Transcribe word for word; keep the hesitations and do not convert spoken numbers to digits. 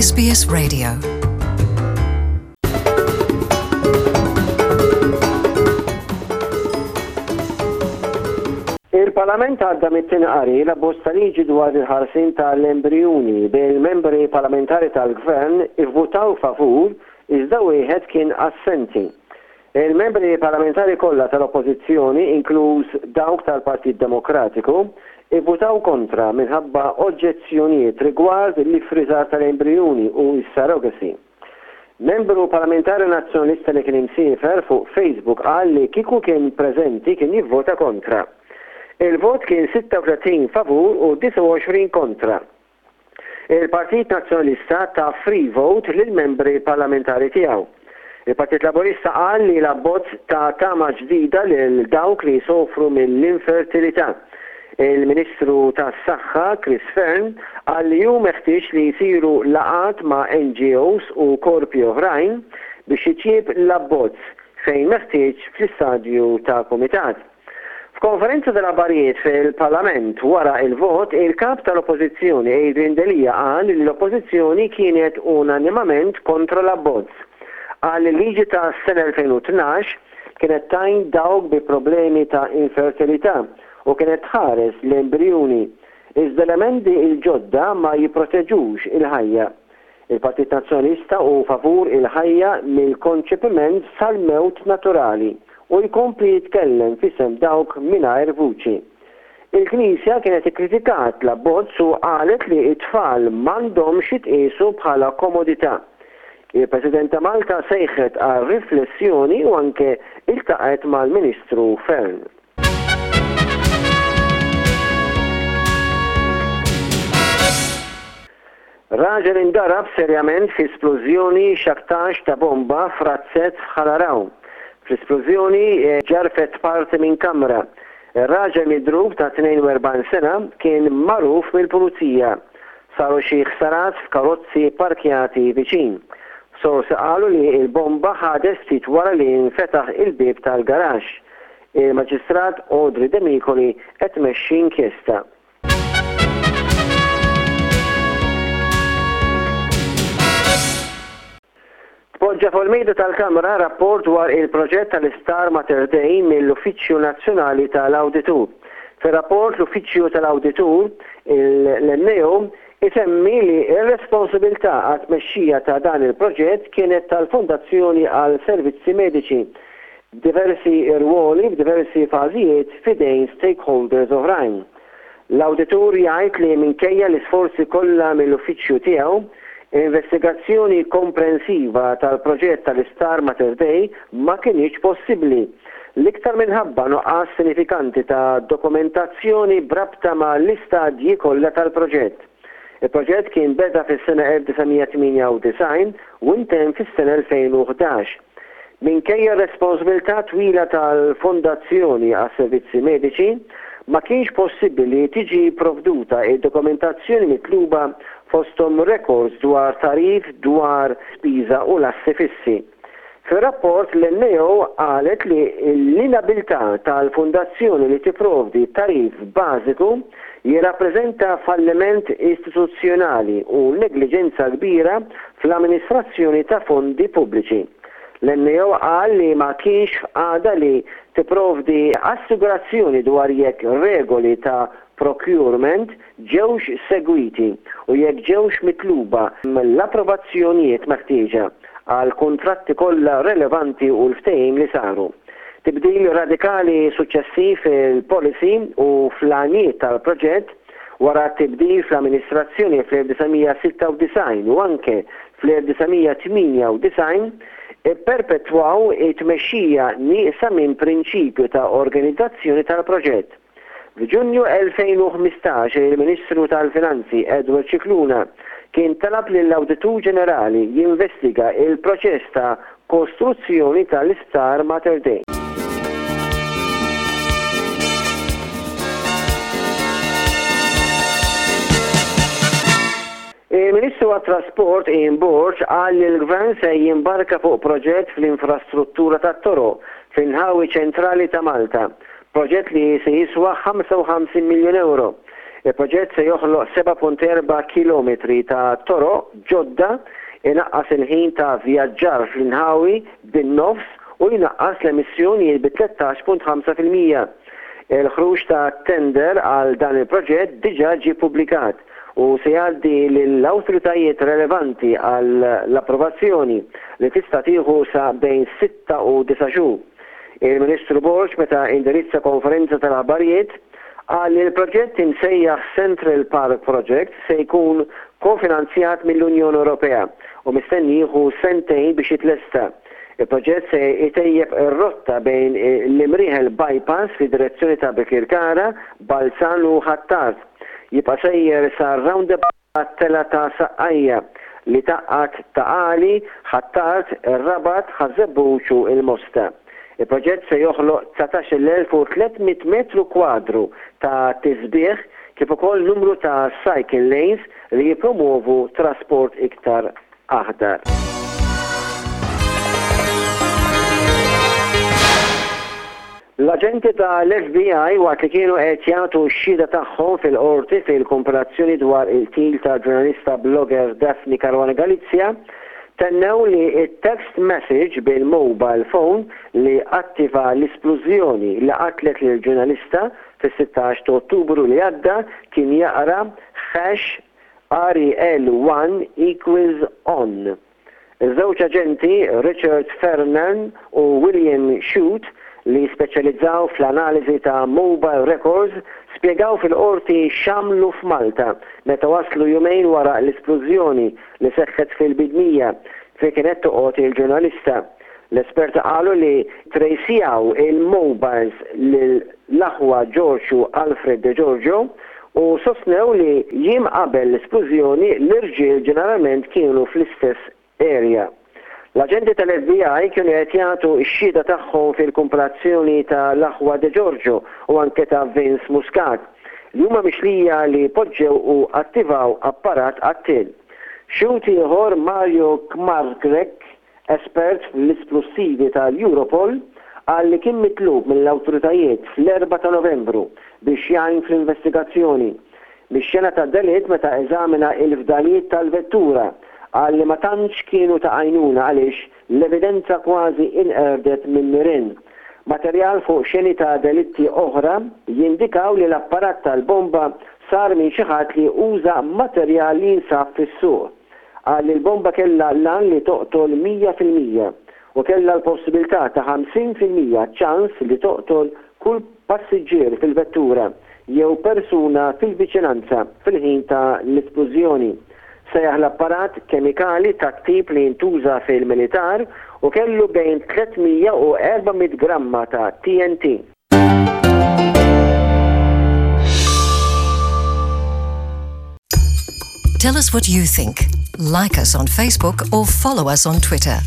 S B S Radio. Il-Parlament għadda mit-tieni qari l-abbozz ta' liġi dwar il-ħarsien tal-embrijuni, bil-membri parlamentari tal-Gvern ivvutaw favur iżda wieħed kien assenti. Il-membri parlamentari kollha tal-Oppożizzjoni, inkluż dawk tal-Partit Demokratiku, ivvutaw kontra minħabba oġġezzjonijiet rigward l-ifriżar tal-embrijuni u s-surrogacy. Membru parlamentari Nazzjonalista li kien imsiefer fuq Facebook qal li kieku kien preżenti kien jivvota kontra. Il-vot kien sitta u tletin favur u disgħa u għoxrin kontra. Il-Partit Nazzjonalista ta free vote lill-membri parlamentari tiegħu. Il-Partit Laburista qal li l-abbozz ta tama ġdida lil dawk li jsofru mill-infertilità. Il-Ministru tas-Saħħa Chris Fearne qal li hu meħtieġ li jsiru laqgħat ma' N G Os u korpi oħrajn biex jitjieb l-abbozz fejn meħtieġ fl-istadju ta' komitat. F'konferenza tal-aħbarijiet fil-Parlament wara il-vot, il-kap tal-Oppożizzjoni Adrian Delia qal li l-Oppożizzjoni kienet unanimament kontra l-abbozz. Qal li liġi ta' sena elfejn u tnax kienet tgħin dawk bi problemi ta' infertilità u kienet tħares l-embrijuni. Iżda l-emendi il-ġodda ma jipproteġux il-ħajja. Il-Partit Nazzjonalista hu favur il-ħajja mill-konċepiment sal-mewt naturali u jkompli jitkellem f'isem dawk mingħajr vuċi. Il-Knisja kienet ikkritikat l-abbozz u qalet li it-tfal m'għandhomx jitqiesu bħala komodità. Il-President ta' Malta sejħet għal riflessjoni u anke iltaqgħet mal-Ministru Fearne. Raġel indarab serjament fi splużjoni x'aktarx ta' bomba f'razzett f'Ħal Għargħur. Fl-isplużjoni eh, ġarfet parti minn kamra. Ir-raġel midrub ta' tnejn u erbgħin sena kien magħruf mill-pulizija. Saru xi ħsarat f'karozzi parkjati viċin. Sorsi qalu li il-bomba ħadet ftit wara li nfetaħ il-bib tal-garaxx. Il-Maġistrat Audrey Demicoli qed tmexxi inkjesta. Tpoġġa fuq il-mejda tal-Kamra rapport dwar il-proġett tal-Isptar Mater Dei mill-Uffiċċju Nazzjonali tal-Awditur. Fir-rapport, l-Uffiċċju tal-Awditur, l-N A O, isemmi li r-responsabilità għat-tmexxija ta' dan il-proġett kienet tal-Fondazzjoni għal Servizzi Mediċi. Diversi rwoli f'diversi fażijiet f'idejn stakeholders oħrajn. L-awditur jgħid li minkejja l-isforzi kollha mill-uffiċċju tiegħu, investigazzjoni komprensiva tal-proġett tal-Isptar Mater Dei ma kinitx possibbli, l-iktar minħabba nuqqas sinifikanti ta' dokumentazzjoni b'rabta ma' l-istadji kollha tal-proġett. Il-proġett kien beda fis-sena elf disa' mija tmienja u disgħin u intemm fis-sena elfejn u ħdax. Minkejja responsabilità twila tal-Fondazzjoni għas Servizzi Mediċi, ma kienx possibbli li tiġi provduta id-dokumentazzjoni mitluba, fosthom records dwar tagħrif dwar spiża u l-assi fissi. Fir-rapport, l-N A O qalet li l-inabilità tal-fundazzjoni li tipprovdi tagħrif bażiku jirrappreżenta falliment istituzzjonali u negliġenza kbira fl-amministrazzjoni ta' fondi pubbliċi. L-N A O qal li ma kienx f'qagħda li tipprovdi assigurazzjoni dwar jekk regoli ta' procurement ġewx segwiti u jekk ġewx mitluba l-approvazzjonijiet meħtieġa għal kontratti kollha relevanti u l-ftehim li saru. Tibdil radikali suċċessiv fil-policy u fl-għanijiet tal-proġett wara tibdil fl-amministrazzjoni fl-elf disa' mija sitta u disgħin u anke fl-elf disa' mija tmienja u disgħin perpetwaw it-tmexxija nieqsa minn prinċipju ta' organizzazzjoni tal-proġett. F'Ġunju elfejn u ħmistax, il-Ministru tal-Finanzi Edward Scicluna kien talab lill-Awditur Ġenerali jinvestiga il-proċess ta' kostruzzjoni tal-Isptar Mater Dei. Il-Ministru għat-Trasport Ian Borg qal li l-Gvern se jimbarka fuq proġett fl-infrastruttura tat-toroq fl-inħawi ċentrali ta' Malta. Proġett li se jiswa ħamsa u ħamsin miljun euro. Il-proġett se joħloq seba' punt erba' kilometri ta' toroq ġodda, inaqqas il-ħin ta' vjaġġar fl-inħawi bin-nofs u jnaqqas l-emissjonijiet bi tlettax punt ħamsa fil-mija. Il-ħruġ ta' tender għal dan il-proġett diġà ġie publikat u se jgħaddi lill-awtoritajiet relevanti għall-approvazzjoni, li tista' tieħu sa bejn sitta u disa' xhur. Il-Ministru Borg, meta indirizza konferenza tal-aħbarijiet, qal li l-proġett imsejjaħ Central Park Project se jkun kofinanzjat mill-Unjoni Ewropea u mistenni jieħu sentejn biex jitlesta. Il-proġett se jtejjeb ir-rotta bejn l-Imrieħel Bypass fi direzzjoni ta' Birkirkara, Balzan u Ħ'Attard. Jibqa' sejjer sa roundabout Telgħa ta' Saqqajja li tgħaqqad Ta' Qali, Ħ'Attard, ir-Rabat, Ħaż-Żebbuġ u il-Mosta. Il-proġett se joħloq dsatax-il elf u tliet mitt metru kwadru ta' tisbieħ, kif ukoll numru ta' cycle lanes li jipromuovu trasport iktar aħdar. L-aġenti tal-F B I, waqt li kienu qed jagħtu x-xhieda tagħhom fil-qorti fil-kumpilazzjoni dwar il-qtil ta' ġurnalista blogger Daphne Caruana Galizia, tennew li il-text message bil-mobile phone li attiva l-isplużjoni li qatlet lil ġurnalista fis-sittax ta' Ottubru li għadda kien jaqra hash R E L one equals on. Iż-żewġ aġenti, Richard Fernan u William Shute, li speċjalizzaw fl-analiżi ta' mobile records, spjegaw fil-qorti x'għamlu f'Malta meta waslu jumejn wara l-isplużjoni li seħħet fil-Bidnija fejn kienet toqgħod il-ġurnalista. L-esperti qalu li trejsjaw il-mobiles l-aħwa George u Alfred De Giorgio u sostnew li jiem qabel l-isplużjoni l-irġiel ġeneralment kienu fl-istess area. L-aġenti tal-F B I kienu qed jagħtu x-xhieda tagħhom fil-kumpilazzjoni tal-aħwa De Giorgio u anke ta' Vince Muscat, li huma mixlija li poġġew u attivaw apparat qattil. Xhud ieħor, Mario Kmargrek, espert fl-isplussivi tal-Europol, qal li kien mitlub mill-awtoritajiet fl-erbgħa ta' Novembru biex jgħin fl-investigazzjoni. Mix-xena ta' delitt, meta eżamina il-fdalijiet tal-vettura, qal li ma tantx kienu ta' għajnuna għaliex l-evidenza kważi inqerdet minn nirien. Materjal fuq xeni ta' delitti oħra jindikaw li l-apparat tal-bomba sar minn xi ħadd li uża materjal li jinsab fis-suq. Qal li l-bomba kellha l-għan li toqtol mija fil-mija u kellha l-possibilità ta' ħamsin fil-mija ċans li toqtol kull passiġġier fil-vettura jew persuna fil-viċinanza fil-ħin ta' l-isplużjoni. Sejjaħ l-apparat kemikali ta' tip li jintuża fil-militar u kellu bejn tliet mija u erba' mitt gramma ta' T N T. Tell us what you think. Like us on Facebook or follow us on Twitter.